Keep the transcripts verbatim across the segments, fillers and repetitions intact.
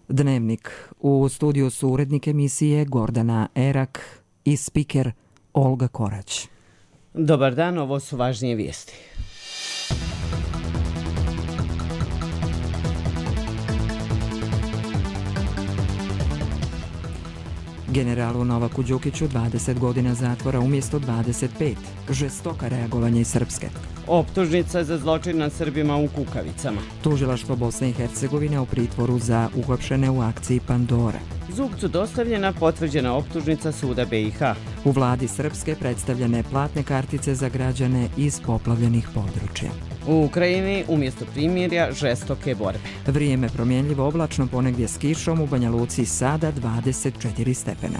Dnevnik. U studiju su urednik emisije Gordana Erak i spiker Olga Korać. Dobar dan, ovo su važnije vijesti. Generalu Novaku Đukiću dvadeset godina zatvora umjesto dvadeset pet. Žestoka reagovanje iz Srpske. Optužnica za zločin nad Srbima u Kukavicama. Tužilaštvo Bosne i Hercegovine u pritvoru za uhapšene u akciji Pandora. Zubcu dostavljena potvrđena optužnica suda B i H. U vladi Srpske predstavljene platne kartice za građane iz poplavljenih područja. U Ukrajini umjesto primirja žestoke borbe. Vrijeme promjenljivo, oblačno, ponegdje s kišom, u Banja Luci sada dvadeset četiri stepena.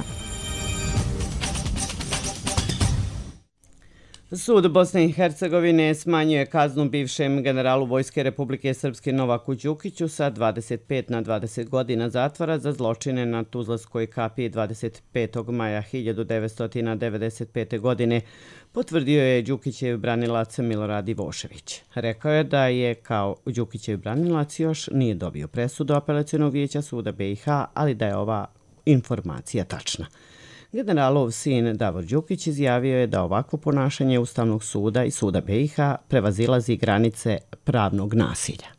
Sud Bosne i Hercegovine smanjuje kaznu bivšem generalu Vojske Republike Srpske Novaku Đukiću sa dvadeset pet na dvadeset godina zatvora za zločine na Tuzlanskoj kapiji dvadeset petog maja hiljadu devetsto devedeset pete. godine, potvrdio je Đukićev branilac Milorad Ivošević. Rekao je da je kao Đukićev branilac još nije dobio presudu Apelacionog vijeća suda B i H, ali da je ova informacija tačna. Generalov sin Davor Đukić izjavio je da ovakvo ponašanje Ustavnog suda i suda B i H prevazilazi granice pravnog nasilja.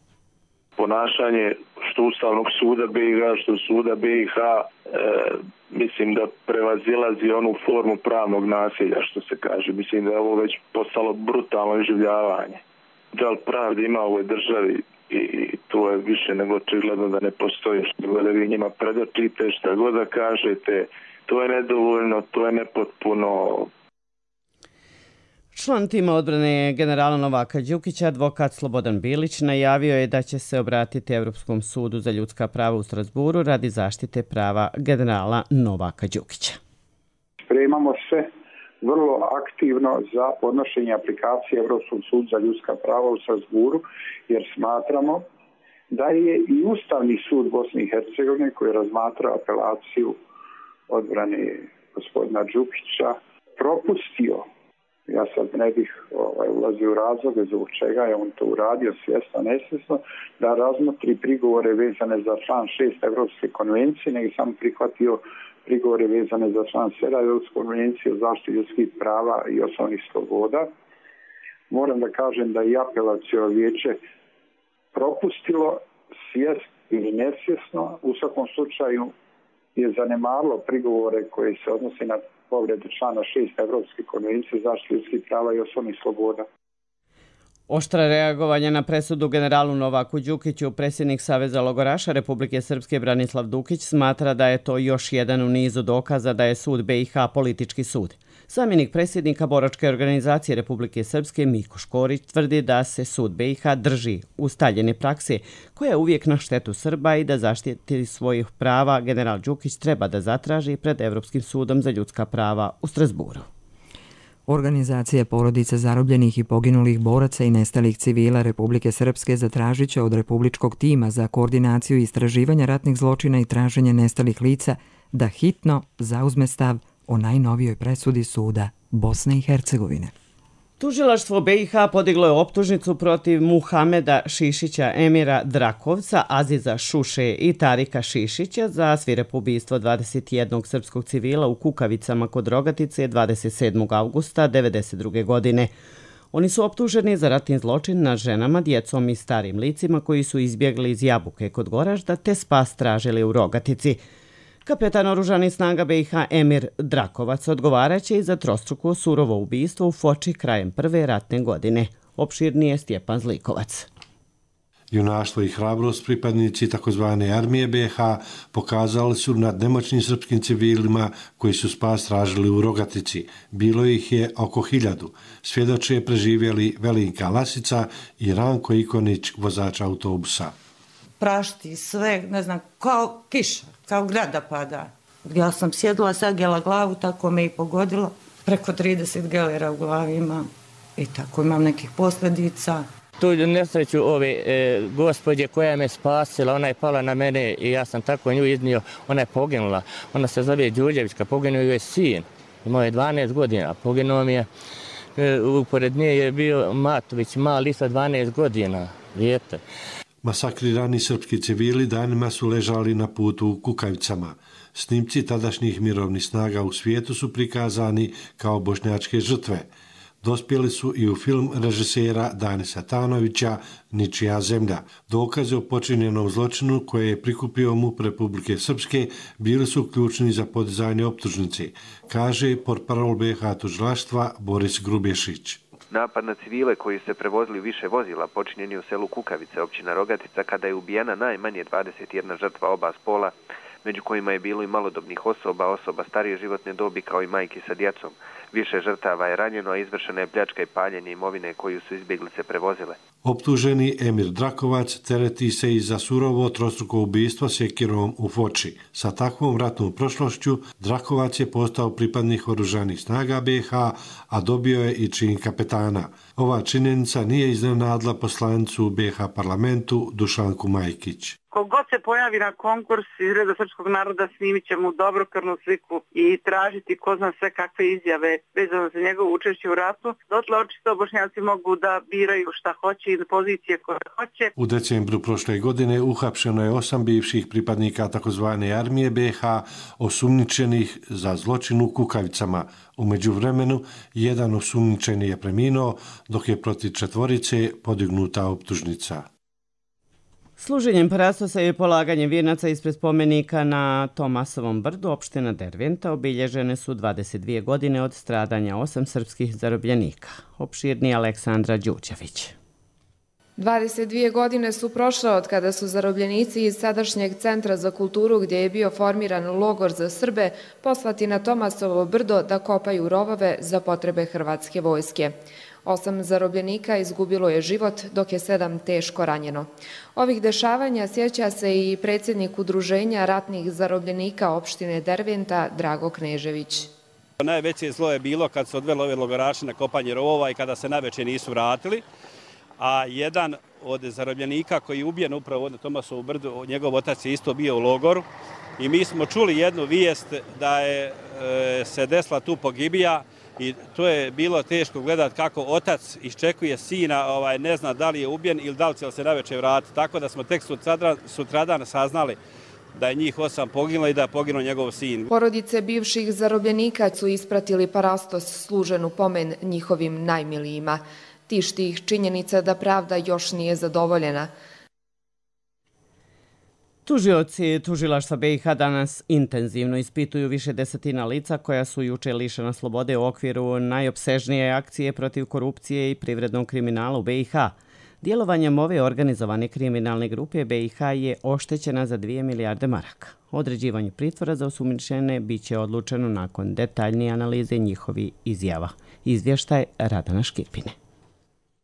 Ponašanje što Ustavnog suda B i H, što suda B i H, e, mislim da prevazilazi onu formu pravnog nasilja, što se kaže. Mislim da je ovo već postalo brutalno iživljavanje. Da li pravde ima u ovoj državi i to je više nego očigledno da ne postoji. Što god da vi njima predočite, šta god da kažete, to je nedovoljno, to je nepotpuno. Član tima odbrane generala Novaka Đukića, advokat Slobodan Bilić, najavio je da će se obratiti Evropskom sudu za ljudska prava u Strasburu radi zaštite prava generala Novaka Đukića. Spremamo se vrlo aktivno za podnošenje aplikacije Evropskog suda za ljudska prava u Strasburu, jer smatramo da je i Ustavni sud Bosne i Hercegovine, koji je razmatrao apelaciju odbrane gospodina Đukića, propustio, ja sad ne bih ovaj, ulazio u razloge zbog čega je on to uradio svjesno, nesvjesno, da razmotri prigovore vezane za član šest Evropske konvencije, nego sam prihvatio prigovore vezane za član sedam Evropske konvencije o zaštiti ljudskih prava i osnovnih sloboda. Moram da kažem da i apelaciono vijeće propustilo svjesno ili nesvjesno, u svakom slučaju je zanemarilo prigovore koji se odnose na povredu člana šest Evropske konvencije o zaštiti ljudskih prava i osnovnih sloboda. Oštra reagovanja na presudu generalu Novaku Đukiću, predsjednik Saveza logoraša Republike Srpske Branislav Dukić smatra da je to još jedan u nizu dokaza da je sud B i H politički sud. Zamjenik predsjednika boračke organizacije Republike Srpske Miko Škorić tvrdi da se sud B i H drži ustaljene prakse koja je uvijek na štetu Srba i da zaštiti svojih prava general Đukić treba da zatraži pred Evropskim sudom za ljudska prava u Strasburu. Organizacije porodice zarobljenih i poginulih boraca i nestalih civila Republike Srpske zatražit će od Republičkog tima za koordinaciju istraživanja ratnih zločina i traženje nestalih lica da hitno zauzme stav o najnovijoj presudi suda Bosne i Hercegovine. Tužilaštvo B i H podiglo je optužnicu protiv Muhameda Šišića, Emira Drakovca, Aziza Šuše i Tarika Šišića za svirepo ubistvo dvadeset jednog srpskog civila u Kukavicama kod Rogatice dvadeset sedmog avgusta devedeset druge. godine. Oni su optuženi za ratni zločin nad ženama, djecom i starim licima koji su izbjegli iz Jabuke kod Goražda te spas tražili u Rogatici. Kapetan oružanih snaga B i H Emir Drakovac odgovaraće i za trostruko surovo ubistvo u Foči krajem prve ratne godine. Opširnije Stjepan Zlikovac. Junaštvo i hrabrost pripadnici takozvane armije B i H pokazali su nad nemoćnim srpskim civilima koji su spas tražili u Rogatici. Bilo ih je oko hiljadu. Svjedoče preživjeli Velinka Lasica i Ranko Ikonić, vozač autobusa. Prašti sve, ne znam, kao kiša, kao grada pada. Ja sam sjedila, sagela glavu, tako me i pogodilo. Preko trideset gelera u glavi imam i tako imam nekih posljedica. Tu nesreću ove e, gospođe koja me spasila, ona je pala na mene i ja sam tako nju iznio, ona je poginula. Ona se zove Đurđevićka, poginuo je sin, imao je dvanaest godina, poginuo mi je, e, upored nje je bio Matović, mali sa dvanaest godina, dijete. Masakrirani srpski civili danima su ležali na putu u Kukavicama. Snimci tadašnjih mirovnih snaga u svijetu su prikazani kao bošnjačke žrtve. Dospjeli su i u film režisera Danisa Tanovića Ničija zemlja. Dokaze o počinjenom zločinu koje je prikupio MUP Republike Srpske bili su ključni za podizanje optužnice, kaže portparol B H tužilaštva Boris Grubješić. Napad na civile koji se prevozili više vozila počinjen je u selu Kukavice, općina Rogatica, kada je ubijena najmanje dvadeset jedna žrtva oba spola, među kojima je bilo i malodobnih osoba, osoba starije životne dobi kao i majki sa djecom. Više žrtava je ranjeno, a izvršena je pljačka i paljenje imovine koju su izbjeglice prevozile. Optuženi Emir Drakovac tereti se i za surovo trostruko ubistvo sjekirom u Foči. Sa takvom ratnom prošlošću Drakovac je postao pripadnik oružanih snaga B H, a dobio je i čin kapetana. Ova činjenica nije iznenadila poslanicu u B H parlamentu Dušanku Majkić. Kogod se pojavi na konkurs iz reda srpskog naroda, snimit će mu dobrokrvnu sliku i tražiti ko zna sve kakve izjave vezano za njegovo učešće u ratu. Dotle očito Bošnjaci mogu da biraju šta hoće i pozicije koje hoće. U decembru prošle godine uhapšeno je osam bivših pripadnika takozvane armije B H osumnjičenih za zločin u Kukavicama. U međuvremenu jedan osumnjičeni je preminuo, dok je protiv četvorice podignuta optužnica. Služenjem parastosa i polaganjem vijenaca ispred spomenika na Tomasovom brdu opština Derventa obilježene su dvadeset dvije godine od stradanja osam srpskih zarobljenika. Opširni Aleksandra Đuđević. dvadeset dvije godine su prošle od kada su zarobljenici iz sadašnjeg Centra za kulturu, gdje je bio formiran logor za Srbe, poslati na Tomasovo brdo da kopaju rovove za potrebe hrvatske vojske. Osam zarobljenika izgubilo je život, dok je sedam teško ranjeno. Ovih dešavanja sjeća se i predsjednik Udruženja ratnih zarobljenika opštine Derventa, Drago Knežević. Najveće zlo je bilo kad se odvelo ove logoraše na kopanje rovova i kada se navečer nisu vratili. A jedan od zarobljenika koji je ubijen upravo na Tomasovu brdu, njegov otac je isto bio u logoru. I mi smo čuli jednu vijest da je e, se desila tu pogibija. I to je bilo teško gledati kako otac iščekuje sina, ovaj, ne zna da li je ubijen ili da li će se navečer vratiti. Tako da smo tek sutradan, sutradan saznali da je njih osam poginulo i da je poginuo njegov sin. Porodice bivših zarobljenika su ispratili parastos služen u pomen njihovim najmilijima. Tišti ih činjenica da pravda još nije zadovoljena. Tužioci tužilaštva B i H danas intenzivno ispituju više desetina lica koja su juče lišena slobode u okviru najopsežnije akcije protiv korupcije i privrednog kriminala u B i H. Djelovanjem ove organizovane kriminalne grupe B i H je oštećena za dvije milijarde maraka. Određivanje pritvora za osumnjičene biće odlučeno nakon detaljnije analize njihovih izjava. Izvještaj Radana Škipine.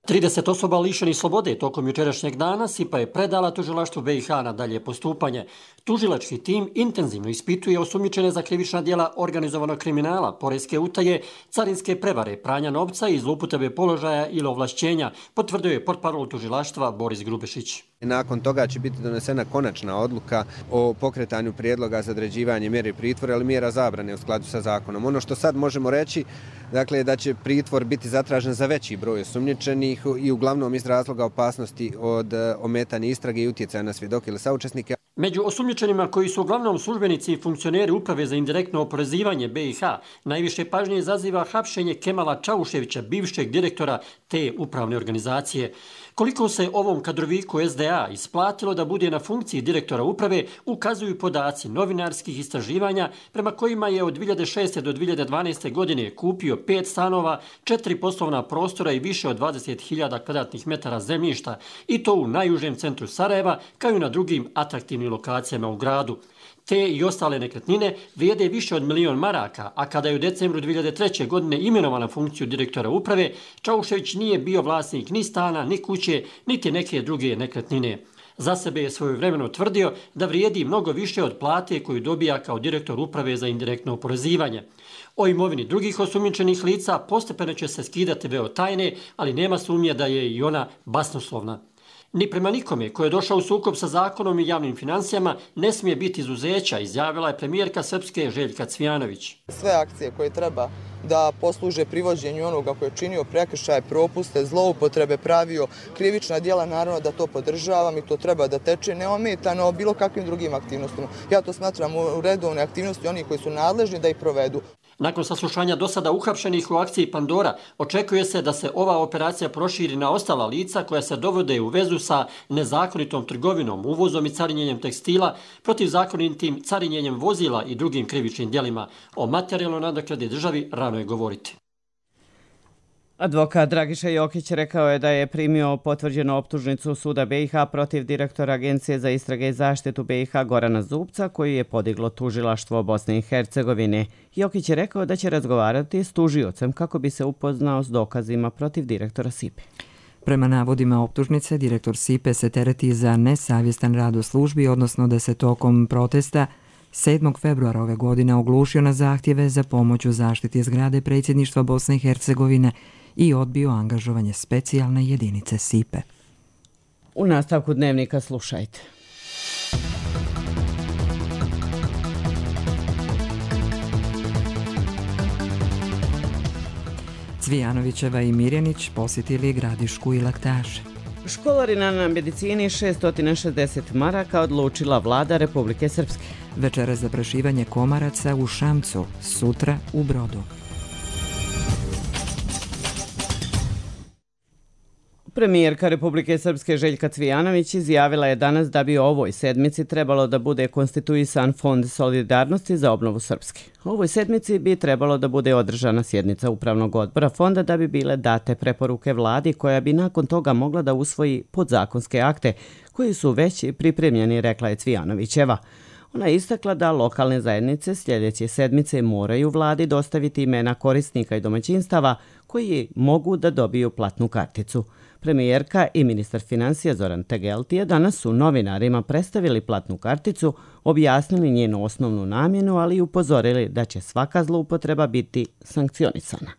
trideset osoba lišenih slobode tokom jučerašnjeg dana SIPA je predala tužilaštvu B i H na dalje postupanje. Tužilački tim intenzivno ispituje osumnjičene za krivična djela organizovanog kriminala, poreske utaje, carinske prevare, pranja novca i zloupotrebe položaja ili ovlašćenja, potvrdio je portparol tužilaštva Boris Grubešić. Nakon toga će biti donesena konačna odluka o pokretanju prijedloga za određivanje mjere pritvora ili mjera zabrane u skladu sa zakonom. Ono što sad možemo reći, dakle, da će pritvor biti zatražen za veći broj osumnjičenih i uglavnom iz razloga opasnosti od ometanja istrage i utjecaja na svjedoke ili saučesnike. Među osumnjičenima koji su uglavnom službenici i funkcioneri Uprave za indirektno oporezivanje B i H najviše pažnje izaziva hapšenje Kemala Čauševića, bivšeg direktora te upravne organizacije. Koliko se ovom kadroviku S D A isplatilo da bude na funkciji direktora uprave, ukazuju podaci novinarskih istraživanja prema kojima je od dvije hiljade šeste do dvije hiljade dvanaeste godine kupio pet stanova, četiri poslovna prostora i više od dvadeset hiljada kvadratnih metara zemljišta, i to u najužem centru Sarajeva, kao i na drugim atraktivnim lokacijama u gradu. Te i ostale nekretnine vrijede više od milion maraka, a kada je u decembru dvije hiljade treće. godine imenovan na funkciju direktora uprave, Čaušević nije bio vlasnik ni stana, ni kuće, niti neke druge nekretnine. Za sebe je svojevremeno tvrdio da vrijedi mnogo više od plate koju dobija kao direktor uprave za indirektno oporezivanje. O imovini drugih osumnjičenih lica postepeno će se skidati veo tajne, ali nema sumnje da je i ona basnoslovna. Ni prema nikome ko je došao u sukob sa zakonom i javnim financijama ne smije biti izuzeća, izjavila je premijerka Srpske Željka Cvijanović. Sve akcije koje treba da posluže privođenju onoga koji je činio prekršaje, propuste, zloupotrebe, pravio krivična djela, naravno da to podržavam i to treba da teče neometano bilo kakvim drugim aktivnostima. Ja to smatram u redovne aktivnosti onih koji su nadležni da ih provedu. Nakon saslušanja do sada uhapšenih u akciji Pandora, očekuje se da se ova operacija proširi na ostala lica koja se dovode u vezu sa nezakonitom trgovinom, uvozom i carinjenjem tekstila, protivzakonitim carinjenjem vozila i drugim krivičnim djelima. O materijalnoj nadoknadi državi rano je govoriti. Advokat Dragiša Jokić rekao je da je primio potvrđenu optužnicu Suda B i H protiv direktora Agencije za istrage i zaštitu B i H Gorana Zubca, koji je podiglo tužilaštvo Bosne i Hercegovine. Jokić je rekao da će razgovarati s tužiocem kako bi se upoznao s dokazima protiv direktora S I P E. Prema navodima optužnice, direktor S I P E se tereti za nesavjestan rad u službi, odnosno da se tokom protesta sedmog februara ove godine oglušio na zahtjeve za pomoć u zaštiti zgrade predsjedništva Bosne i Hercegovine i odbio angažovanje specijalne jedinice S I P E. U nastavku dnevnika slušajte. Cvijanovićeva i Mirjanić posjetili Gradišku i Laktaše. Školarina na medicini šesto šezdeset maraka odlučila vlada Republike Srpske. Večera za prašivanje komaraca u Šamcu, sutra u Brodu. Premijerka Republike Srpske Željka Cvijanović izjavila je danas da bi u ovoj sedmici trebalo da bude konstituisan Fond solidarnosti za obnovu Srpske. U ovoj sedmici bi trebalo da bude održana sjednica Upravnog odbora fonda da bi bile date preporuke vladi koja bi nakon toga mogla da usvoji podzakonske akte koji su već pripremljeni, rekla je Cvijanovićeva. Ona je istakla da lokalne zajednice sljedeće sedmice moraju vladi dostaviti imena korisnika i domaćinstava koji mogu da dobiju platnu karticu. Premijerka i ministar financija Zoran Tegeltije danas su novinarima predstavili platnu karticu, objasnili njenu osnovnu namjenu, ali i upozorili da će svaka zloupotreba biti sankcionisana.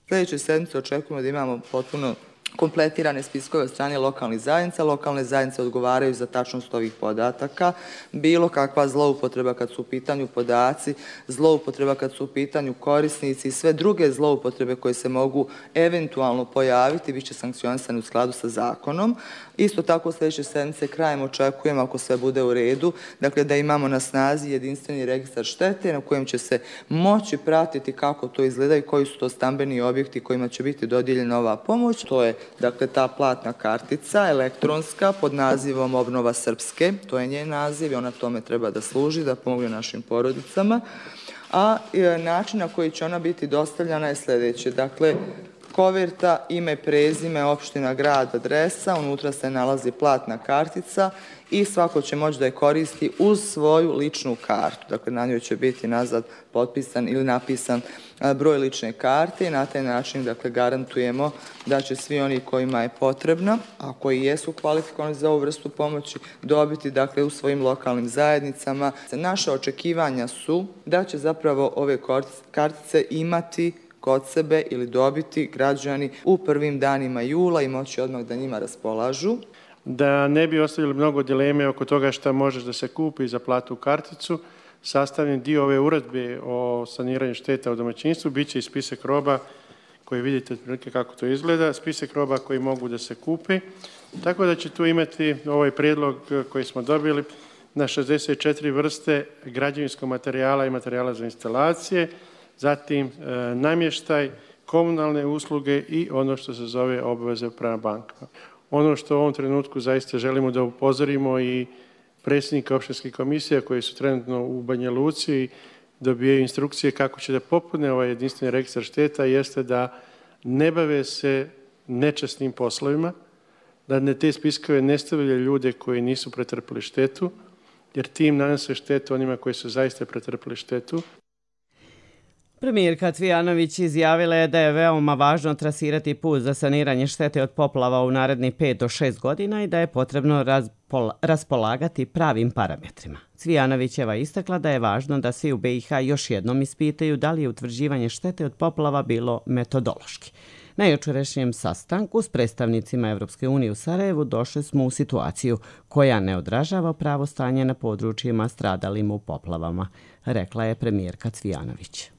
Sljedeće sedmice očekujemo da imamo potpuno kompletirane spiskove od strane lokalnih zajednica. Lokalne zajednice odgovaraju za tačnost ovih podataka. Bilo kakva zloupotreba kad su u pitanju podaci, zloupotreba kad su u pitanju korisnici i sve druge zloupotrebe koje se mogu eventualno pojaviti bit će sankcionisane u skladu sa zakonom. Isto tako u sljedeće sedmice krajem očekujemo, ako sve bude u redu, dakle da imamo na snazi jedinstveni registar štete na kojem će se moći pratiti kako to izgleda i koji su to stambeni objekti kojima će biti dodijeljena ova pomoć. To je dakle ta platna kartica elektronska pod nazivom Obnova Srpske, to je njen naziv i ona tome treba da služi, da pomogne našim porodicama. A način na koji će ona biti dostavljena je sljedeće. Dakle, koverta, ime, prezime, opština, grad, adresa, unutra se nalazi platna kartica i svako će moći da je koristi uz svoju ličnu kartu. Dakle, na njoj će biti nazad potpisan ili napisan broj lične karte i na taj način dakle, garantujemo da će svi oni kojima je potrebna, a koji jesu kvalifikovani za ovu vrstu pomoći, dobiti dakle, u svojim lokalnim zajednicama. Naše očekivanja su da će zapravo ove kartice imati kod sebe ili dobiti građani u prvim danima jula i moći odmah da njima raspolažu. Da ne bi ostavili mnogo dileme oko toga šta može da se kupi za platnu karticu, sastavljen dio ove uredbe o saniranju šteta u domaćinstvu biće i spisak roba koji vidite otprilike kako to izgleda, spisak roba koji mogu da se kupe. Tako da će tu imati ovaj prijedlog koji smo dobili na šezdeset četiri vrste građevinskog materijala i materijala za instalacije, zatim e, namještaj, komunalne usluge i ono što se zove obaveze prema bankama. Ono što u ovom trenutku zaista želimo da upozorimo i predsjednika opštinskih komisija koji su trenutno u Banja Luci dobijaju instrukcije kako će da popune ovaj jedinstveni registar šteta jeste da ne bave se nečasnim poslovima, da ne te spiskove ne stavljaju ljude koji nisu pretrpili štetu, jer tim nanose štetu onima koji su zaista pretrpili štetu. Premijerka Cvijanović izjavila je da je veoma važno trasirati put za saniranje štete od poplava u narednih pet do šest godina i da je potrebno raspolagati pravim parametrima. Cvijanovićeva istakla da je važno da svi u B i H još jednom ispitaju da li je utvrđivanje štete od poplava bilo metodološki. Na jučerašnjem sastanku s predstavnicima Evropske unije u Sarajevu došli smo u situaciju koja ne odražava pravo stanje na područjima stradalim u poplavama, rekla je premijerka Cvijanović.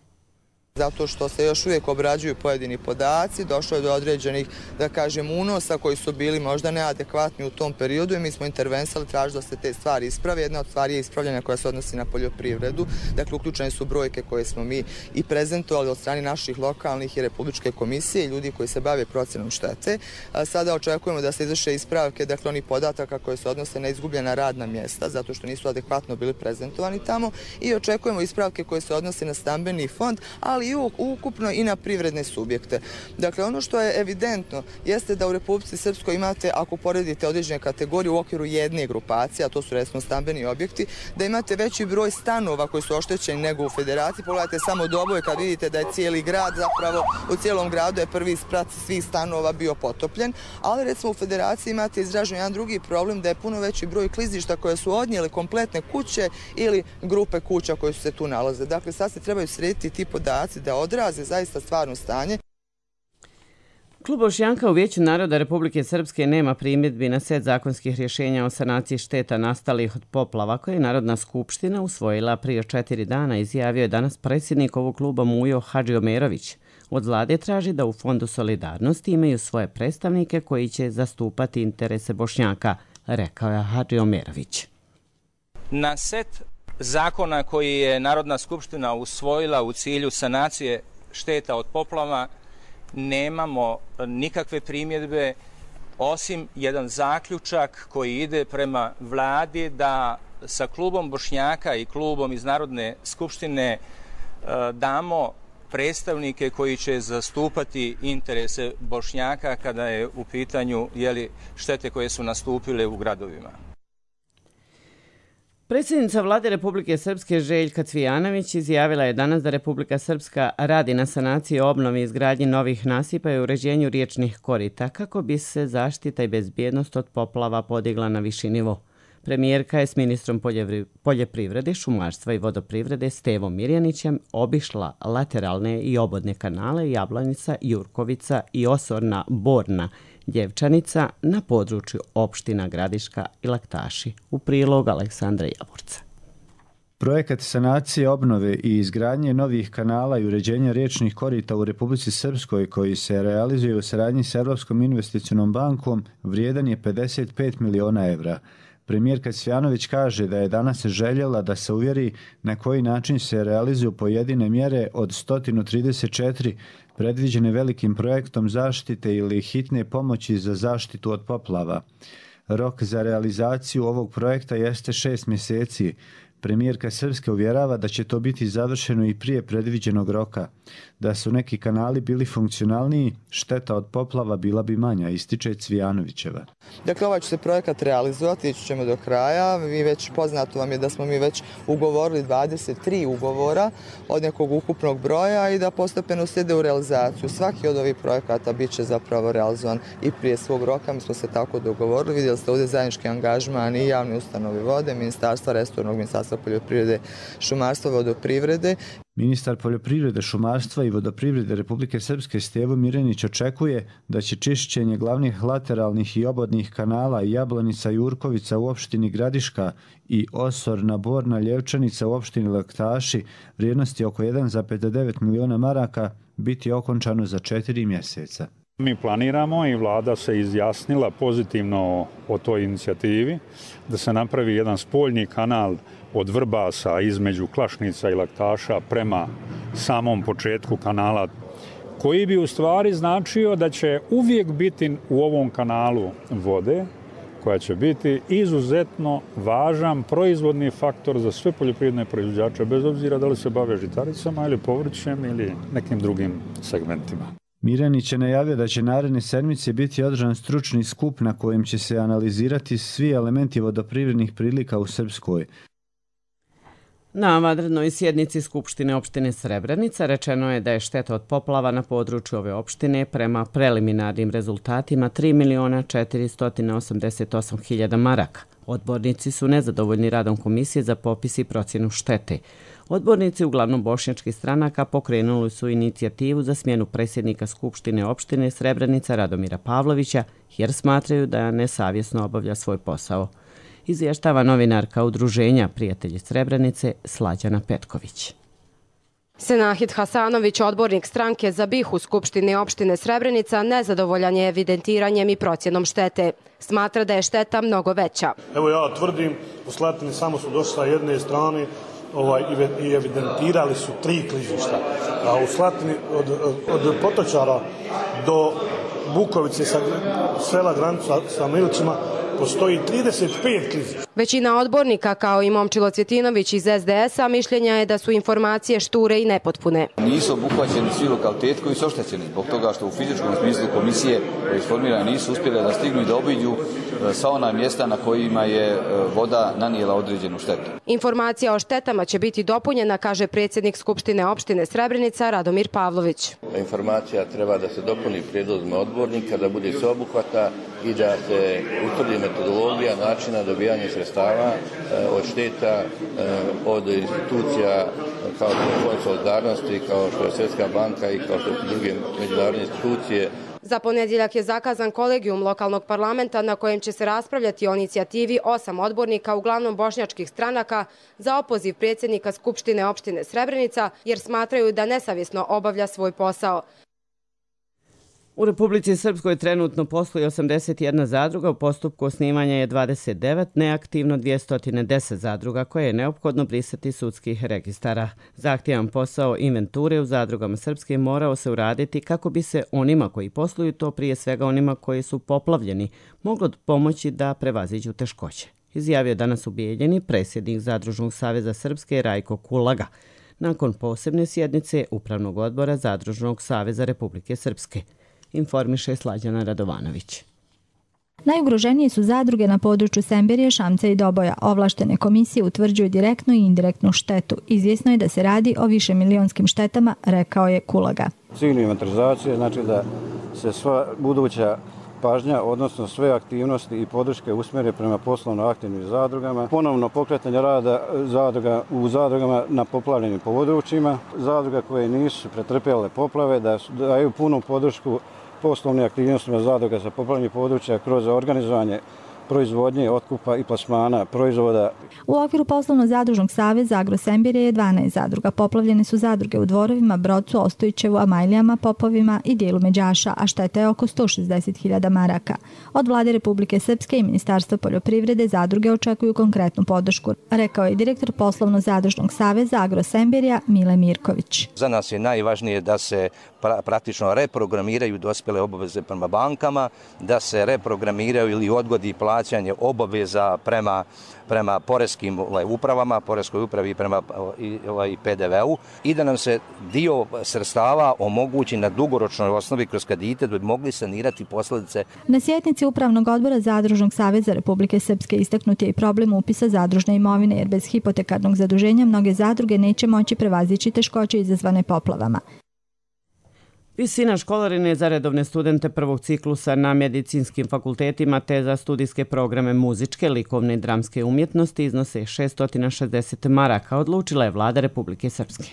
Zato što se još uvijek obrađuju pojedini podaci, došlo je do određenih, da kažem, unosa koji su bili možda neadekvatni u tom periodu i mi smo intervensali, tražili da se te stvari isprave. Jedna od stvari je ispravljanja koja se odnosi na poljoprivredu. Dakle, uključene su brojke koje smo mi i prezentovali od strane naših lokalnih i republičke komisije i ljudi koji se bave procenom štete. Sada očekujemo da se izvrše ispravke, dakle, onih podataka koje se odnose na izgubljena radna mjesta, zato što nisu adekvatno bili prezentovani tamo, i očekujemo ispravke koje se odnose na stambeni fond, ali i ukupno i na privredne subjekte. Dakle, ono što je evidentno jeste da u Republici Srpskoj imate, ako poredite određene kategorije u okviru jedne grupacije, a to su recimo stambeni objekti, da imate veći broj stanova koji su oštećeni nego u Federaciji. Pogledajte samo Doboj kad vidite da je cijeli grad, zapravo u cijelom gradu je prvi sprat svih stanova bio potopljen, ali recimo u Federaciji imate izražen jedan drugi problem, da je puno veći broj klizišta koje su odnijeli kompletne kuće ili grupe kuća koje su se tu nalaze. Dakle, sad se trebaju srediti ti podaci da odraze zaista stvarno stanje. Klub Bošnjaka u Vijeću naroda Republike Srpske nema primjedbi na set zakonskih rješenja o sanaciji šteta nastalih od poplava koje je Narodna skupština usvojila prije četiri dana, izjavio je danas predsjednik ovog kluba Mujo Hadžiomerović. Od vlade traži da u Fondu solidarnosti imaju svoje predstavnike koji će zastupati interese Bošnjaka, rekao je Hadžiomerović. Na set zakona koji je Narodna skupština usvojila u cilju sanacije šteta od poplava nemamo nikakve primjedbe, osim jedan zaključak koji ide prema vladi da sa klubom Bošnjaka i klubom iz Narodne skupštine damo predstavnike koji će zastupati interese Bošnjaka kada je u pitanju jeli, štete koje su nastupile u gradovima. Predsjednica vlade Republike Srpske Željka Cvijanović izjavila je danas da Republika Srpska radi na sanaciji, obnovi i izgradnji novih nasipa i uređenju riječnih korita kako bi se zaštita i bezbjednost od poplava podigla na viši nivo. Premijerka je s ministrom poljoprivrede, šumarstva i vodoprivrede Stevom Mirjanićem obišla lateralne i obodne kanale Jablanica, Jurkovica i Osorna Borna, Djevčanica na području opština Gradiška i Laktaši. U prilog Aleksandra Jaburca. Projekat sanacije, obnove i izgradnje novih kanala i uređenja riječnih korita u Republici Srpskoj koji se realizuje u saradnji s Evropskom investicionom bankom vrijedan je pedeset pet miliona evra. Premijerka Cvijanović kaže da je danas željela da se uvjeri na koji način se realizuju pojedine mjere od sto trideset četiri predviđene velikim projektom zaštite ili hitne pomoći za zaštitu od poplava. Rok za realizaciju ovog projekta jeste šest mjeseci. Premijerka Srpske uvjerava da će to biti završeno i prije predviđenog roka. Da su neki kanali bili funkcionalniji, šteta od poplava bila bi manja, ističe Cvijanovićeva. Dakle, ovaj će se projekat realizovati, ići ćemo do kraja. Vi već poznato vam je da smo mi već ugovorili dvadeset tri ugovora od nekog ukupnog broja i da postepeno slijede u realizaciju. Svaki od ovih projekata bit će zapravo realizovan i prije svog roka. Mi smo se tako dogovorili. Vidjeli ste ovdje zajednički angažman i javni ustanovi vode, Ministarstva resornog, Ministarstva poljoprivrede, šumarstva, vodoprivrede. Ministar poljoprivrede, šumarstva i vodoprivrede Republike Srpske Stevo Mirjanić očekuje da će čišćenje glavnih lateralnih i obodnih kanala Jablanica i Jurkovica u opštini Gradiška i Osorna Borna Ljevčanica u opštini Laktaši vrijednosti oko jedan zarez devet miliona maraka biti okončano za četiri mjeseca. Mi planiramo i vlada se izjasnila pozitivno o toj inicijativi da se napravi jedan spoljni kanal od Vrbasa između Klašnica i Laktaša prema samom početku kanala, koji bi u stvari značio da će uvijek biti u ovom kanalu vode, koja će biti izuzetno važan proizvodni faktor za sve poljoprivredne proizvođače, bez obzira da li se bave žitaricama ili povrćem ili nekim drugim segmentima. Mirjanić je najavio da će naredne sedmice biti održan stručni skup na kojem će se analizirati svi elementi vodoprivrednih prilika u Srpskoj. Na vanrednoj sjednici Skupštine opštine Srebrenica rečeno je da je šteta od poplava na području ove opštine prema preliminarnim rezultatima tri miliona četiristo osamdeset osam hiljada maraka. Odbornici su nezadovoljni radom komisije za popis i procjenu štete. Odbornici uglavnom bošnjačkih stranaka pokrenuli su inicijativu za smjenu predsjednika Skupštine opštine Srebrenica Radomira Pavlovića jer smatraju da nesavjesno obavlja svoj posao. Izvještava novinarka udruženja Prijatelji Srebrenice Slađana Petković. Senahid Hasanović, odbornik stranke za BiH u Skupštini opštine Srebrenica, nezadovoljan je evidentiranjem i procjenom štete. Smatra da je šteta mnogo veća. Evo ja tvrdim, u Slatini samo su došli sa jedne strane ovaj, i evidentirali su tri klizišta. A u Slatini od, od Potočara do Bukovice, sa sela granica sa Milicima, postoji trideset pet klizišta. Većina odbornika, kao i Momčilo Cvjetinović iz es de es a, mišljenja je da su informacije šture i nepotpune. Nisu obuhvaćeni svi lokaliteti koji su oštećeni zbog toga što u fizičkom smislu komisije koje formirane nisu uspjele da stignu i da obiđu sva ona mjesta na kojima je voda nanijela određenu štetu. Informacija o štetama će biti dopunjena, kaže predsjednik Skupštine opštine Srebrenica Radomir Pavlović. Informacija treba da se dopuni prijedlozima odbornika, da bude sveobuhvatna i da se utvrdi metodologija načina dobijanja sredstava od šteta od institucija kao što je Fond solidarnosti, kao što je Svjetska banka i kao što su druge međunarodne institucije. Za ponedjeljak je zakazan kolegijum lokalnog parlamenta na kojem će se raspravljati o inicijativi osam odbornika, uglavnom bošnjačkih stranaka, za opoziv predsjednika Skupštine opštine Srebrenica jer smatraju da nesavjesno obavlja svoj posao. U Republici Srpskoj trenutno posluje osamdeset jedna zadruga, u postupku osnivanja je dvadeset devet, neaktivno dvjesto deset zadruga koje je neophodno brisati sudskih registara. Zahtjevan posao inventure u zadrugama Srpske morao se uraditi kako bi se onima koji posluju, to prije svega onima koji su poplavljeni, moglo pomoći da prevaziđu teškoće. Izjavio danas u Bijeljini predsjednik Zadružnog saveza Srpske Rajko Kulaga nakon posebne sjednice Upravnog odbora Zadružnog saveza Republike Srpske. Informiše Slađana Radovanović. Najugroženije su zadruge na području Semberije, Šamca i Doboja. Ovlaštene komisije utvrđuju direktnu i indirektnu štetu. Izvjesno je da se radi o više milionskim štetama, rekao je Kulaga. Ciljna inventarizacija znači da se sva buduća pažnja, odnosno sve aktivnosti i podrške usmjere prema poslovno aktivnim zadrugama. Ponovno pokretanje rada zadruga u zadrugama na poplavljenim područjima. Zadruga koje nisu pretrpjele poplave da daju punu podršku poslovnim aktivnostima zadruga za poplavljanje područja kroz organizovanje proizvodnje, otkupa i plasmana proizvoda. U okviru poslovno-zadružnog saveza Agrosembirje je dvanaest zadruga. Poplavljene su zadruge u Dvorovima, Brocu, Ostojićevu, Amajlijama, Popovima i dijelu Međaša, a šteta je oko sto šezdeset hiljada maraka. Od Vlade Republike Srpske i Ministarstva poljoprivrede zadruge očekuju konkretnu podršku, rekao je direktor poslovno-zadružnog saveza Agrosembirja Mile Mirković. Za nas je najvažnije da se pra praktično reprogramiraju dospjele obaveze prema bankama, da se reprogramiraju ili odgodi plaćanje obaveza prema prema poreskim ovaj, upravama, poreskoj upravi i prema ovaj, pe de ve u i da nam se dio sredstava omogući na dugoročnoj osnovi kroz kredite da bi mogli sanirati posljedice. Na sjednici Upravnog odbora Zadružnog saveza Republike Srpske istaknut je i problem upisa zadružne imovine, jer bez hipotekarnog zaduženja mnoge zadruge neće moći prevazići teškoće izazvane poplavama. Visina školarine za redovne studente prvog ciklusa na medicinskim fakultetima te za studijske programe muzičke, likovne i dramske umjetnosti iznose šessto šezdeset maraka, odlučila je Vlada Republike Srpske.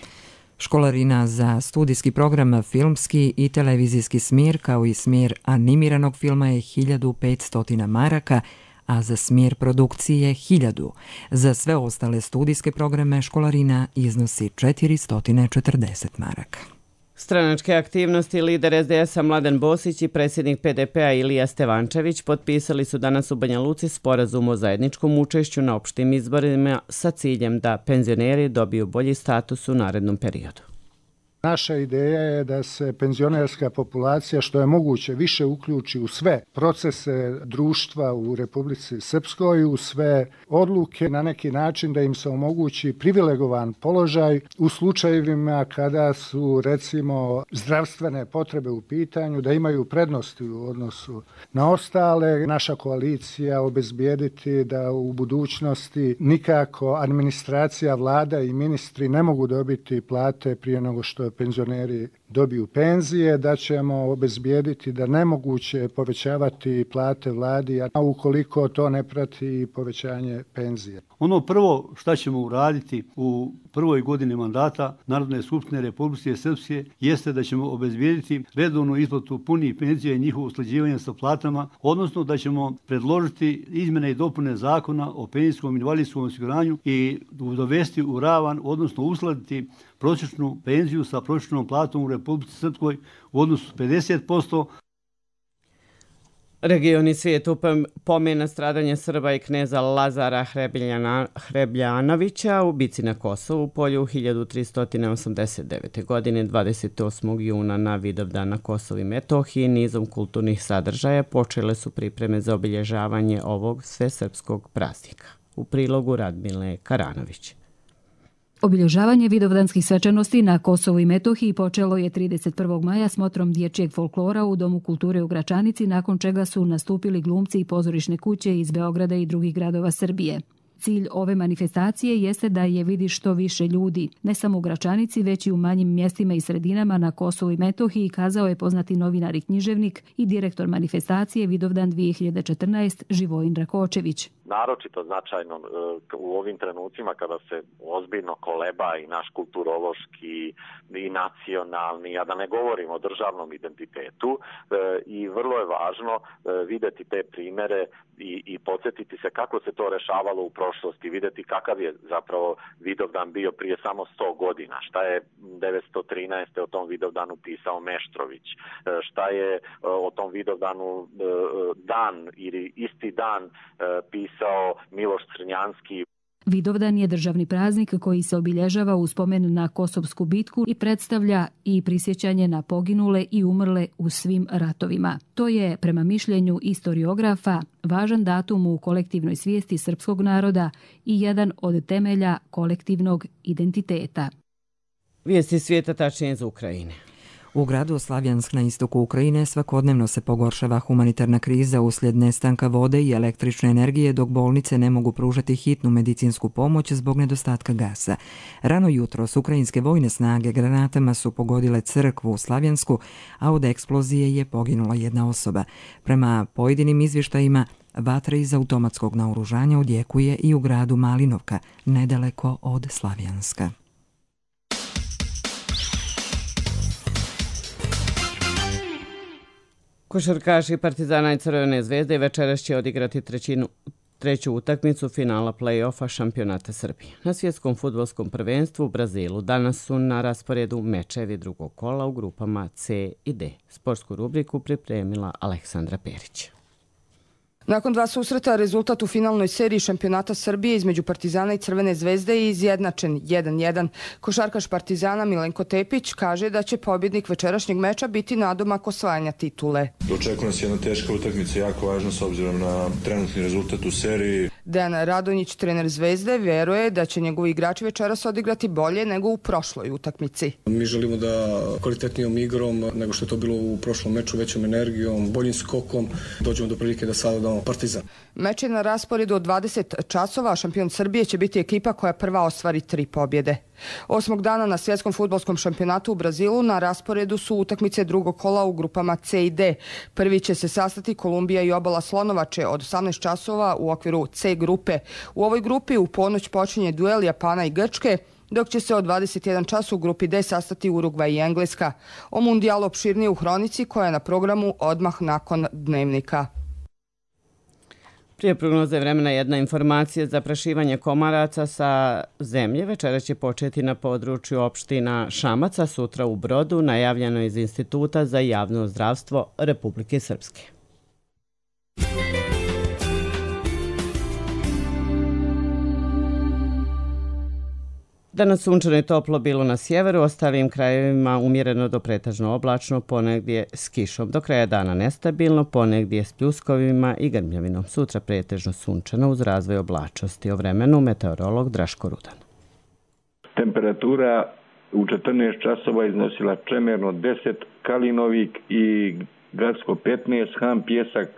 Školarina za studijski program filmski i televizijski smjer kao i smjer animiranog filma je hiljadu petsto maraka, a za smjer produkcije hiljadu. Za sve ostale studijske programe školarina iznosi četiristo četrdeset maraka. Stranačke aktivnosti lider es de es a Mladen Bosić i predsjednik pe de pe a Ilija Stevančević potpisali su danas u Banja Luci sporazum o zajedničkom učešću na opštim izborima sa ciljem da penzioneri dobiju bolji status u narednom periodu. Naša ideja je da se penzionerska populacija što je moguće više uključi u sve procese društva u Republici Srpskoj, u sve odluke, na neki način da im se omogući privilegovan položaj u slučajevima kada su recimo zdravstvene potrebe u pitanju, da imaju prednosti u odnosu na ostale. Naša koalicija obezbijediti da u budućnosti nikako administracija, vlada i ministri ne mogu dobiti plate prije nego što penzioneri dobiju penzije, da ćemo obezbijediti da nemoguće povećavati plate vladi, a ukoliko to ne prati povećanje penzije. Ono prvo što ćemo uraditi u prvoj godini mandata Narodne skupštine Republike Srpske jeste da ćemo obezbijediti redovnu isplatu punih penzija i njihovo usklađivanje sa platama, odnosno da ćemo predložiti izmjene i dopune zakona o penzijskom i invalidskom osiguranju i dovesti u ravan, odnosno uskladiti prosječnu penziju sa prosječnom platom u Republici Srpskoj u odnosu pedeset posto. Regioni svijet pomena stradanje Srba i kneza Lazara Hrebljana, Hrebljanovića u bici na Kosovu polju hiljadu tristo osamdeset devete. godine dvadeset osmog juna na Vidovdan na Kosovu i Metohiji nizom kulturnih sadržaja počele su pripreme za obilježavanje ovog svesrpskog praznika. U prilogu Radmile Karanović. Obilježavanje vidovdanskih svečanosti na Kosovu i Metohiji počelo je trideset prvog maja smotrom dječjeg folklora u Domu kulture u Gračanici, nakon čega su nastupili glumci i pozorišne kuće iz Beograda i drugih gradova Srbije. Cilj ove manifestacije jeste da je vidi što više ljudi, ne samo u Gračanici, već i u manjim mjestima i sredinama na Kosovu i Metohiji, kazao je poznati novinar i književnik i direktor manifestacije Vidovdan dvije hiljade četrnaeste Živojin Rakočević. Naročito značajno u ovim trenucima kada se ozbiljno koleba i naš kulturološki i nacionalni, a da ne govorimo o državnom identitetu, i vrlo je važno vidjeti te primere i, i podsjetiti se kako se to rešavalo u prošlosti, vidjeti kakav je zapravo Vidovdan bio prije samo sto godina, šta je devetsto trinaeste o tom Vidovdanu pisao Meštrović, šta je o tom Vidovdanu dan ili isti dan pisao Miloš Crnjanski. Vidovdan je državni praznik koji se obilježava u spomen na Kosovsku bitku i predstavlja i prisjećanje na poginule i umrle u svim ratovima. To je, prema mišljenju istoriografa, važan datum u kolektivnoj svijesti srpskog naroda i jedan od temelja kolektivnog identiteta. Vijesti svijeta, tačnije iz Ukrajine. U gradu Slavjansk na istoku Ukrajine svakodnevno se pogoršava humanitarna kriza uslijed nestanka vode i električne energije, dok bolnice ne mogu pružati hitnu medicinsku pomoć zbog nedostatka gasa. Rano jutros ukrajinske vojne snage granatama su pogodile crkvu u Slavjansku, a od eksplozije je poginula jedna osoba. Prema pojedinim izvještajima, vatra iz automatskog naoružanja odjekuje i u gradu Malinovka, nedaleko od Slavjanska. Košarkaši Partizana i Crvene zvezde večeras će odigrati trećinu, treću utakmicu finala play-offa šampionata Srbije. Na svjetskom fudbalskom prvenstvu u Brazilu danas su na rasporedu mečevi drugog kola u grupama C i D. Sportsku rubriku pripremila Aleksandra Perić. Nakon dva susreta, rezultat u finalnoj seriji šampionata Srbije između Partizana i Crvene zvezde je izjednačen jedan jedan. Košarkaš Partizana Milenko Tepić kaže da će pobjednik večerašnjeg meča biti nadomak osvajanja titule. Očekuje nas jedna teška utakmica, jako važna s obzirom na trenutni rezultat u seriji. Dejan Radonjić, trener Zvezde, vjeruje da će njegovi igrači večeras odigrati bolje nego u prošloj utakmici. Mi želimo da kvalitetnijom igrom nego što je to bilo u prošlom meču, većom energijom, boljim skokom, dođemo do prilike da sada damo Partizan. Meč je na rasporedu od dvadeset časova, a šampion Srbije će biti ekipa koja prva ostvari tri pobjede. Osmog dana na svjetskom fudbalskom šampionatu u Brazilu na rasporedu su utakmice drugog kola u grupama C i D. Prvi će se sastati Kolumbija i Obala Slonovače od osamnaest časova u okviru C grupe. U ovoj grupi u ponoć počinje duel Japana i Grčke, dok će se od dvadeset jedan čas u grupi D sastati Urugvaj i Engleska. O mundijalu opširnije u hronici koja je na programu odmah nakon dnevnika. Prije prognoze vremena jedna informacija. Zaprašivanje komaraca sa zemlje večera će početi na području opština Šamac, sutra u Brodu, najavljeno iz Instituta za javno zdravstvo Republike Srpske. Danas sunčano i toplo bilo na sjeveru, ostalim krajevima umjereno do pretežno oblačno, ponegdje s kišom. Do kraja dana nestabilno, ponegdje s pljuskovima i grmljavinom. Sutra pretežno sunčano uz razvoj oblačnosti. O vremenu meteorolog Draško Rudan. Temperatura u četrnaest časova iznosila Čemerno deset, Kalinovik i Gradsko petnaest, Han Pjesak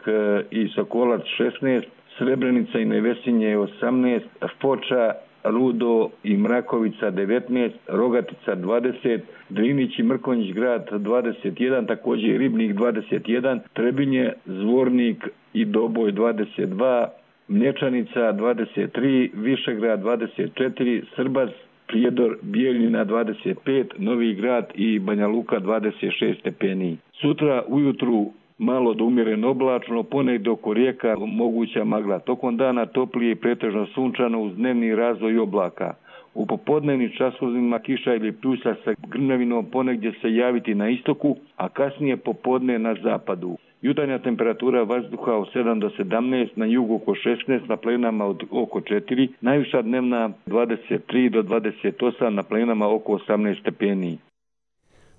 i Sokolac šesnaest, Srebrenica i Nevesinje osamnaest, Foča Rudo i Mrakovica devetnaest, Rogatica dvadeset, Drinić i Mrkonjić grad dvadeset jedan, također Ribnik dvadeset jedan, Trebinje, Zvornik i Doboj dvadeset dva, Mlječanica dvadeset tri, Višegrad dvadeset četiri, Srbac, Prijedor, Bijeljina dvadeset pet, Novi Grad i Banja Luka dvadeset šest stepeni. Sutra ujutru malo do umjereno oblačno, ponegdje oko rijeka moguća magla. Tokom dana toplije i pretežno sunčano uz dnevni razvoj oblaka. U popodnevnim časovima kiša ili pljuska sa grmljavinom ponegdje se javiti na istoku, a kasnije popodne na zapadu. Jutarnja temperatura vazduha od sedam do sedamnaest, na jugu oko šesnaest, na planinama od oko četiri, najviša dnevna dvadeset tri do dvadeset osam, na planinama oko osamnaest stepeni.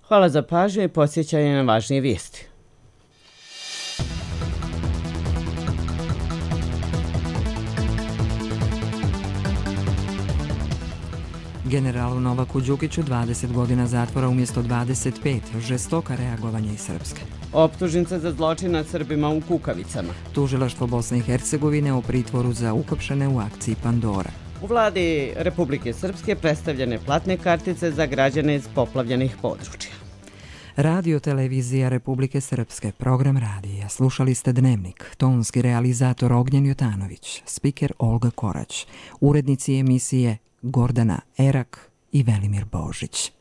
Hvala za pažnju i podsjećanje na važnije vijesti. Generalu Novaku Đukiću dvadeset godina zatvora umjesto dvadeset pet, žestoka reagovanja iz Srpske. Optužnica za zločin nad Srbima u Kukavicama. Tužilaštvo Bosne i Hercegovine o pritvoru za uhapšene u akciji Pandora. U vladi Republike Srpske predstavljene platne kartice za građane iz poplavljenih područja. Radio Televizija Republike Srpske, program radija. Slušali ste Dnevnik, tonski realizator Ognjen Jotanović, spiker Olga Korać, urednici emisije Gordana Erak i Velimir Božić.